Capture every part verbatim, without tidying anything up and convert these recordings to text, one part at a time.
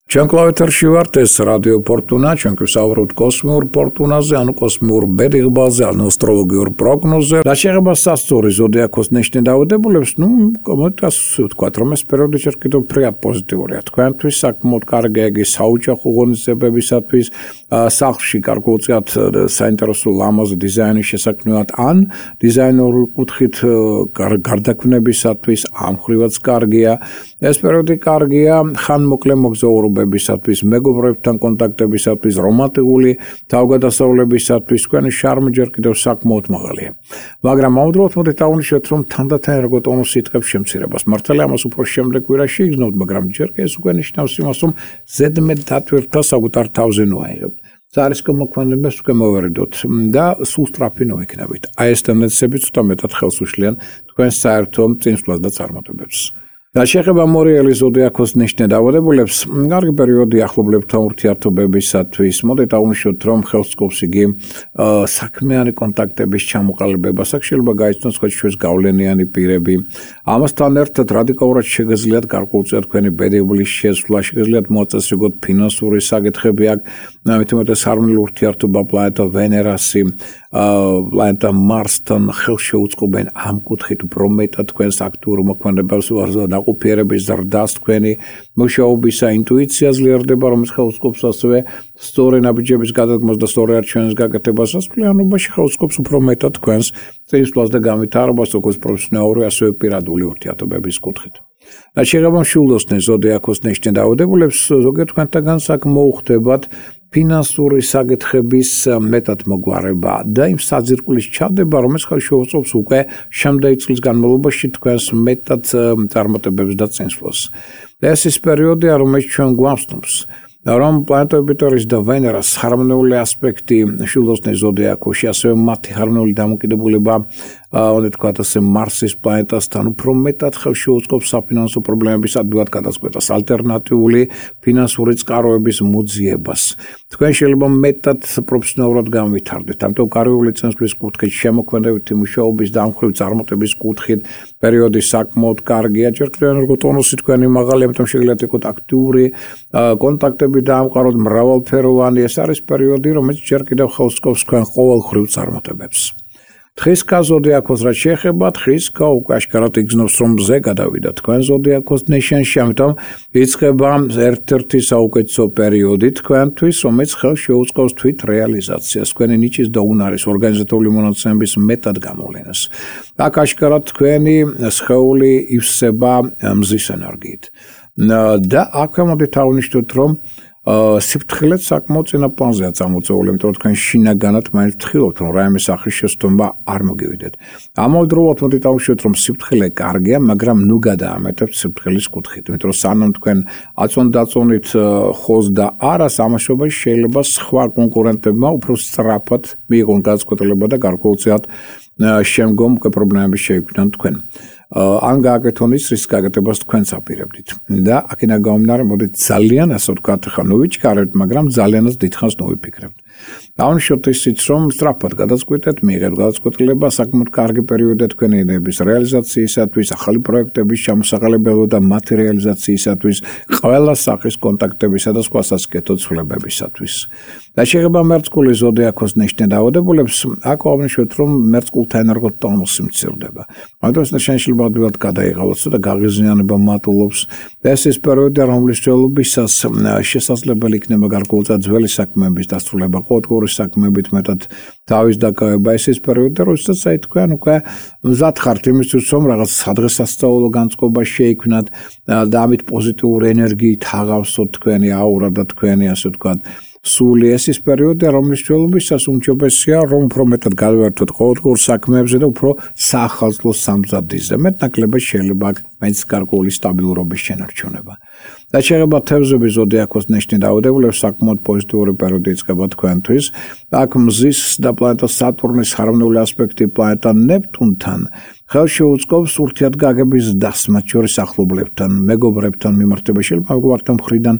Ჩვენ კლავეთერში ვართ, ეს რადიო ფორტუნა, ჩვენ გვსაუბრობთ კოსმიურ ფორტუნაზე, ანუ კოსმიურ ბედიღბაზე, ანუ ასტროლოგიურ პროგნოზზე. რა შეეხება სასწორი ზოდიაქოს ნიშნით დაავადებულებს, ну, კომენტას ვთქვათ, რომ ეს პერიოდი ჯერ კიდევ ფრიად პოზიტიურია. თქვენთვის საკმაოდ კარგია იგი საოჯახო ღონისძიებებისათვის, სახლში გარკვეულწილად საინტერესო ლამაზ დიზაინის შესაქმნელად, ან დიზაინერული კუთხით გარდაქმნებისათვის ამ ხრივაც კარგია. ეს პერიოდი კარგია ხანმოკლე მოგზაურობებისათვის, მეგობრებთან კონტაქტებისათვის, რომანტიკული თავგადასავლებისათვის, თქვენი შარმი ჯერ კიდევ საკმაოდ მაღალია. მაგრამ ამავდროულად მოდით აღვნიშნოთ, რომ თანდათან ერგო ტონუსი იტყებს შემცირებას. მართალია ამას უფრო შემდეგ კვირაში იგრძნობთ, მაგრამ ჯერ კი ეს უკვე ნიშნავს იმას, რომ ზედმეტ დატვირთვა საკუთარ თავზე ნუაიღებთ. ზარის მოქმედებას უკვე მოვერიდოთ და სულ სწრაფი ნოიქნებით. აი ეს ტენდენციები ცოტა მეტად ხელს უშლიან თქვენს საერთო წინსვლას და წარმატებებს. რა შეეხება მორიელი ზოდიაქოს ნიშნით დაავადებულებს, კარგი პერიოდი ახლობლებთან ურთიერთობებისათვის. მოდით აღვნიშნოთ, რომ ხელს სკობს იგი საქმიანი კონტაქტების ჩამოყალიბებას, აქ შეიძლება გაიცნოს ხოჩვის გავლენიანი პირები. ამასთან ერთად რადიკალურად შეგიძლიათ გარკვეულწილად თქვენი ბედიღბლის შესვლა, შეგიძლიათ მოაწესრიგოთ ფინანსური საკითხები, აქ მით უმეტეს ჰარმონიული ურთიერთობა პლანეტა ვენერასი, პლანეტა მარსთან ხელს შეუწყობენ ამ კუთხით უფრო მეტად თქვენს აქტიურ მოქმედებას ნაყოფიერების ზრდას, თქვენი მუშაობისა ინტუიცია ძლიერდება, რომელიც ხელს სკობს ასევე სწორი ნაბიჯების გადადგმას და სწორი არჩევნის გაკეთებას. ასწლიანობაში ხელს სკობს უფრო მეტად თქვენს წინსვლას და განვითარებას, როგორც პროფესიონალური, ასევე პირადული ურთიერთობების კუთხით. რა შეეხება მშვილდოსნეს ზოდიაქოს ნიშნით დაავადებულებს, ზოგიერთ თქვენთაგან აქ მოუხდებათ ფინანსური საკითხების მეტად მოგვარება და იმ საძირკვლის ჩადება, რომელიც ხელს შეუწყობს უკვე შემდეგი წლის განმავლობაში თქვენს მეტად წარმატებებს და წინსვლას. ეს ის პერიოდია, რომელიც ჩვენ გვამცნობს, რომ პლანეტა იუპიტერის და ვენერას ჰარმონიული ასპექტი მშვილდოსნეს ზოდიაქოში, ასევე მათი ჰარმონიული დამოკიდებულება, უნდა თქვათ ასე, მარსის პლანეტასთან უფრო მეტად ხელს შეუწყობს საფინანსო პრობლემების ადვილად გადაწყვეტას, ალტერნატიული ფინანსური წყაროების მოძიებას. თქვენ შეიძლება მეტად პროფესიონალურად განვითარდეთ, ამიტომ კარიერული წინსვლის კუთხით, შემოქმედებითი მუშაობის და ამ ხრივ წარმატების კუთხით პერიოდი საკმაოდ კარგია, ჯერ კიდევ ენერგო ტონუსი თქვენი მაღალი, ამიტომ შეგიძლიათ იყოთ აქტიური კონტაქტები დაამყაროთ მრავალფეროვანი. ეს არის პერიოდი, რომელიც ჯერ კიდევ ხელს სკობს თქვენ ყოველხრივ წარმატებებს. თხისკა ზოდიაქოს რაც შეეხება, თხისკა უკვე აშკარად იგრძნობს, რომ მზე გადავიდა თქვენ ზოდიაქოს ნიშანში, ამიტომ იწყება ერთ-ერთი საუკეთესო პერიოდი თქვენთვის, რომელიც ხელს შეუწყობს თვით რეალიზაციას, თქვენი ნიჭის და უნარის ორგანიზატორული მონაცემების მეტად გამოვლენას. აქ აშკარად თქვენი სხეული ივსება მზის ენერგიით. და აქვე მოდით აღვნიშნოთ, რომ სიფრთხილეც საკმაოდ წინა პლანზეა წამოწეული, იმიტომ რომ თქვენ შინაგანად მაინც ვთხრობთ, რომ რაიმე სახის შესწორება არ მოგივიდეთ. ამავდროულად მოდით აღვნიშნოთ, რომ სიფრთხილე კარგია, მაგრამ ნუ გადაამეტებთ სიფრთხილის კუთხით, იმიტომ რომ სანამ თქვენ აწონ-დაწონით ხოზ და არას, ამაშობაში შეიძლება სხვა კონკურენტებმა უფრო სწრაფად მიიღონ გადაწყვეტილება და გარკვეულწილად შემდგომ უკვე პრობლემები შეიქმნან თქვენ. ან გააკეთონ ის, რის გაკეთებას თქვენც აპირებდით. და აქედან გამომდინარე, მოდით ძალიან, ასე ვთქვათ, ხა ნუ ვიჩქარებთ, მაგრამ ძალიანაც დიდხანს ნოვიფიქრებთ. აღვნიშნოთ ისიც, რომ სწრაფად გადაწყვეტეთ, მიიღეთ გადაწყვეტილება, საკმაოდ კარგი პერიოდია თქვენი იდეების რეალიზაციისათვის, ახალი პროექტების ჩამოსაყალიბებლად და მათი რეალიზაციისათვის, ყველა სახის კონტაქტებისა და სხვა სასიკეთო ცვლილებებისათვის. და შეეხება მერწყულის ზოდიაქოს ნიშნით დაავადებულებს, აქ აღვნიშნოთ, რომ მერწყულთა ენერგო ტონუსი მცირდება. ამიტომ ეს შეიძლება ადვილად გადაიღალოს და გაღიზიანება მატულობს. ეს ის პერიოდია, რომლის ძველობისას შესაძლებელი იქნება გარკვეულწილად ძველი საქმეების დასრულება, ყოველდღიური საქმეებით მეტად თავის დაკავება. ეს ის პერიოდია, როდესაც აი თქვენ უკვე მზად ხართ იმისთვის, რომ რაღაც სადღესასწაულო განწყობა შეიქმნათ და ამით პოზიტიური ენერგიით აღავსოთ თქვენი აურა და თქვენი, ასე ვთქვათ, სული. ეს ის პერიოდია, რომლის ძველობისას უმჯობესია, რომ უფრო მეტად გავერთოთ ყოველდღიურ საქმეებზე და უფრო საახალწლო სამზადისზე. მეტნაკლებად შეიძლება მაინც გარკვეული სტაბილურობის შენარჩუნება. და შეეხება თევზების ზოდიაქოს ნიშნით დაავადებულებს, საკმაოდ პოზიტიური პერიოდი იწყება თქვენთვის. აქ მზის და პლანეტა სატურნის ჰარმონიული ასპექტი პლანეტა ნეპტუნთან ხელშეუწყობს ურთიერთგაგების ზრდას, მათ შორის ახლობლებთან, მეგობრებთან მიმართება. შეიძლება მეგობართა მხრიდან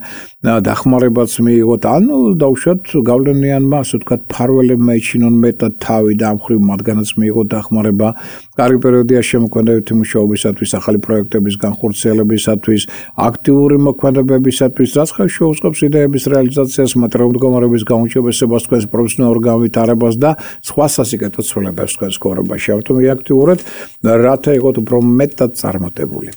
დახმარებაც მიიღოთ, ანუ დაუშვათ გავლენიანმა, ასე ვთქვათ, ფარველებმა ეჩინონ მეტად თავი და ამ მხრივ მათგანაც მიიღოთ დახმარება. კარგი პერიოდია შემოქმედებითი მუშაობისათვის, ახალი პროექტების განხორციელებისათვის, აქტიური მოქმედებებისათვის, რაც ხელშეუწყობს იდეების რეალიზაციას, მატერიალური მდგომარეობის გაუმჯობესებას, თქვენს პროფესიონალურ განვითარებას და სხვა სასიკეთო ცვლილებებს თქვენს ცხოვრებაში. ამიტომ აქტიურად რათა იყოთ უფრო მეტად წარმატებული.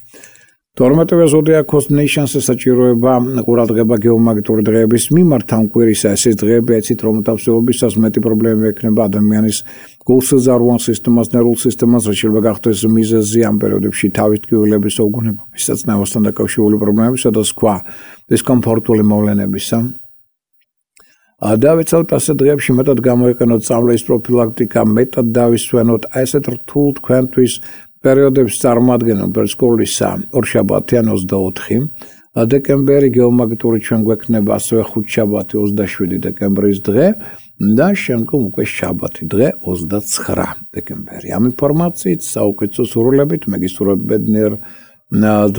თორმეტე ზოდიაქოს ნეიშანს საჭიროება ყურადღება გეომაგნიტური დღეების მიმართ ამ კვირისა ეს დღეები ეცით რომ თავსებობისას მეტი პრობლემა ექნება ადამიანის გულსაზარვან სისტემას, ნერვულ სისტემას, რაც შეიძლება გახდეს მიზეზი ამ პერიოდებში თავის ტკივილების უგუნებობისა, ნერვოსთან დაკავშირებული პრობლემებისა და სხვა დისკომფორტული მოვლენებისა. დავეცავთ ასეთ დღეებში მეტად გამოიყენოთ წამლის პროფილაქტიკა, მეტად დავისვენოთ ასეთ რთულ თქვენთვის პერიოდებს წარმოადგენენ პერსკოლისა ორშაბათი ან ოცდაოთხი დეკემბერი გეომაგნიტური ჩვენ გვექნება ასევე ხუთშაბათი ოცდაშვიდი დეკემბრის დღე და შემდგომ უკვე შაბათი დღე ოცდაცხრა დეკემბერი. ამ ინფორმაციით საუკეთესო სურვილებით მე გისურვებთ ბედნიერ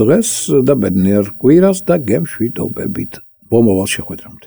დღეს და ბედნიერ კვირას და გემშვიდობებით. მომავალ შეხვედრამდე.